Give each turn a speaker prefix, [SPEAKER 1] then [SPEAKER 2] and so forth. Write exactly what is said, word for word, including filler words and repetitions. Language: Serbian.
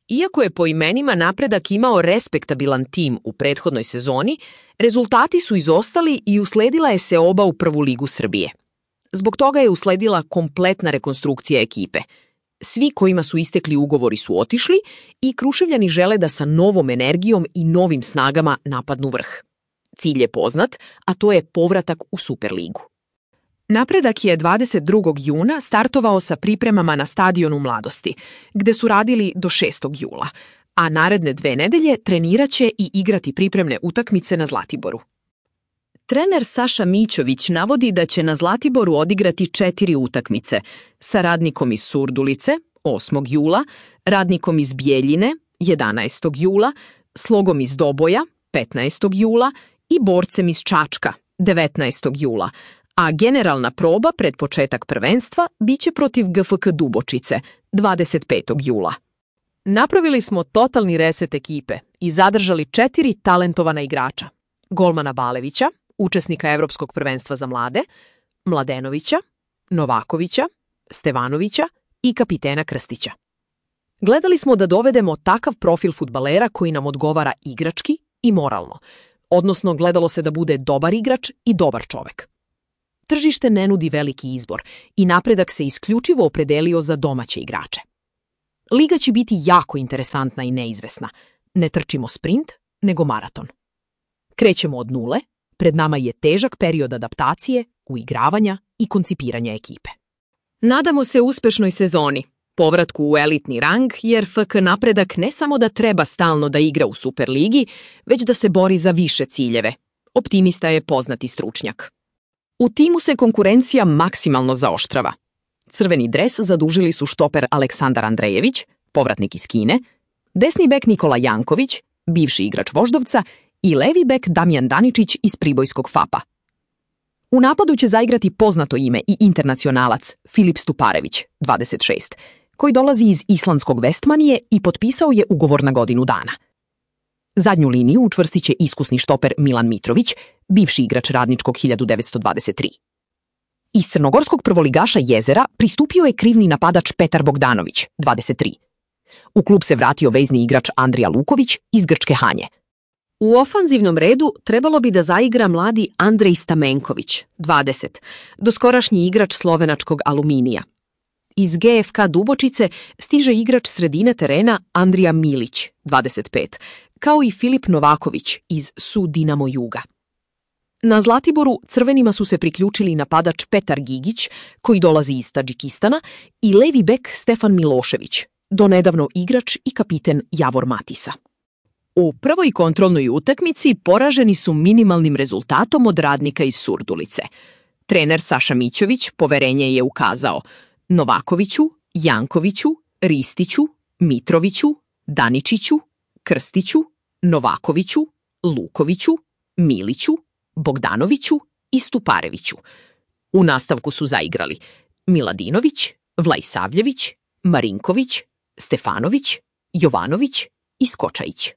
[SPEAKER 1] Iako je po imenima Napredak imao respektabilan tim u prethodnoj sezoni, rezultati su izostali i usledila je seoba u prvu ligu Srbije. Zbog toga je usledila kompletna rekonstrukcija ekipe. Svi kojima su istekli ugovori su otišli i Kruševljani žele da sa novom energijom i novim snagama napadnu vrh. Cilj je poznat, a to je povratak u Superligu. Napredak je dvadeset drugog juna startovao sa pripremama na stadionu Mladosti, gde su radili do šestog jula, a naredne dve nedelje treniraće i igrati pripremne utakmice na Zlatiboru. Trener Saša Mićović navodi da će na Zlatiboru odigrati četiri utakmice sa Radnikom iz Surdulice osmog jula, Radnikom iz Bijeljine jedanaestog jula, Slogom iz Doboja petnaestog jula i Borcem iz Čačka devetnaestog jula, a generalna proba pred početak prvenstva biće protiv G F K Dubočice dvadeset petog jula. Napravili smo totalni reset ekipe i zadržali četiri talentovana igrača. Golmana Balevića, učesnika Evropskog prvenstva za mlade, Mladenovića, Novakovića, Stevanovića i kapitena Krstića. Gledali smo da dovedemo takav profil fudbalera koji nam odgovara igrački i moralno, odnosno gledalo se da bude dobar igrač i dobar čovek. Tržište ne nudi veliki izbor i Napredak se isključivo opredelio za domaće igrače. Liga će biti jako interesantna i neizvesna. Ne trčimo sprint, nego maraton. Krećemo od nule, pred nama je težak period adaptacije, uigravanja i koncipiranja ekipe. Nadamo se uspešnoj sezoni, povratku u elitni rang, jer F K Napredak ne samo da treba stalno da igra u Superligi, već da se bori za više ciljeve. Optimista je poznati stručnjak. U timu se konkurencija maksimalno zaoštrava. Crveni dres zadužili su štoper Aleksandar Andrejević, povratnik iz Kine, desni bek Nikola Janković, bivši igrač Voždovca, i levi bek Damjan Daničić iz pribojskog F A P-a. U napadu će zaigrati poznato ime i internacionalac Filip Stuparević, dvadeset šest, koji dolazi iz islandskog Vestmanije i potpisao je ugovor na godinu dana. Zadnju liniju učvrstit će iskusni štoper Milan Mitrović, bivši igrač Radničkog hiljadu devetsto dvadeset tri. Iz crnogorskog prvoligaša Jezera pristupio je krivni napadač Petar Bogdanović, dvadeset tri. U klub se vratio vezni igrač Andrija Luković iz grčke Hanje. U ofanzivnom redu trebalo bi da zaigra mladi Andrej Stamenković, dvadeset, doskorašnji igrač slovenačkog Aluminija. Iz G F K Dubočice stiže igrač sredine terena Andrija Milić, dvadeset pet, kao i Filip Novaković iz S U Dinamo Juga. Na Zlatiboru crvenima su se priključili napadač Petar Gigić, koji dolazi iz Tadžikistana, i levi bek Stefan Milošević, donedavno igrač i kapiten Javor Matisa. U prvoj kontrolnoj utakmici poraženi su minimalnim rezultatom od Radnika iz Surdulice. Trener Saša Mićović poverenje je ukazao Novakoviću, Jankoviću, Ristiću, Mitroviću, Daničiću, Krstiću, Novakoviću, Lukoviću, Miliću, Bogdanoviću i Stupareviću. U nastavku su zaigrali Miladinović, Vlajsavljević, Marinković, Stefanović, Jovanović i Skočajić.